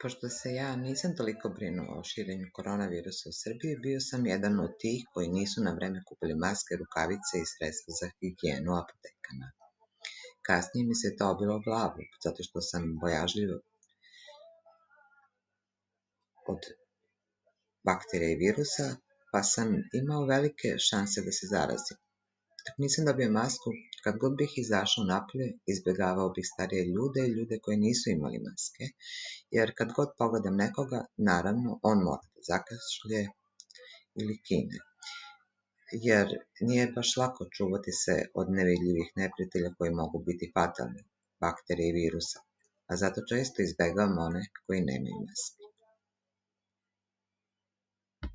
Pošto se ja nisam toliko brinuo o širenju koronavirusa u Srbiji, bio sam jedan od tih koji nisu na vreme kupili maske, rukavice i sredstva za higijenu u apotekama. Kasnije mi se to obilo o glavu, zato što sam bojažljiv od bakterija i virusa, pa sam imao velike šanse da se zarazim. Dok nisam dobio masku, kad god bih izašao napolje, izbjegavao bih starije ljude i ljude koji nisu imali maske, jer kad god pogledam nekoga, naravno, on mora da zakašlje ili kine. Jer nije baš lako čuvati se od nevidljivih neprijatelja koji mogu biti fatalni, bakterije i virusa, a zato često izbjegavam one koji nemaju maske.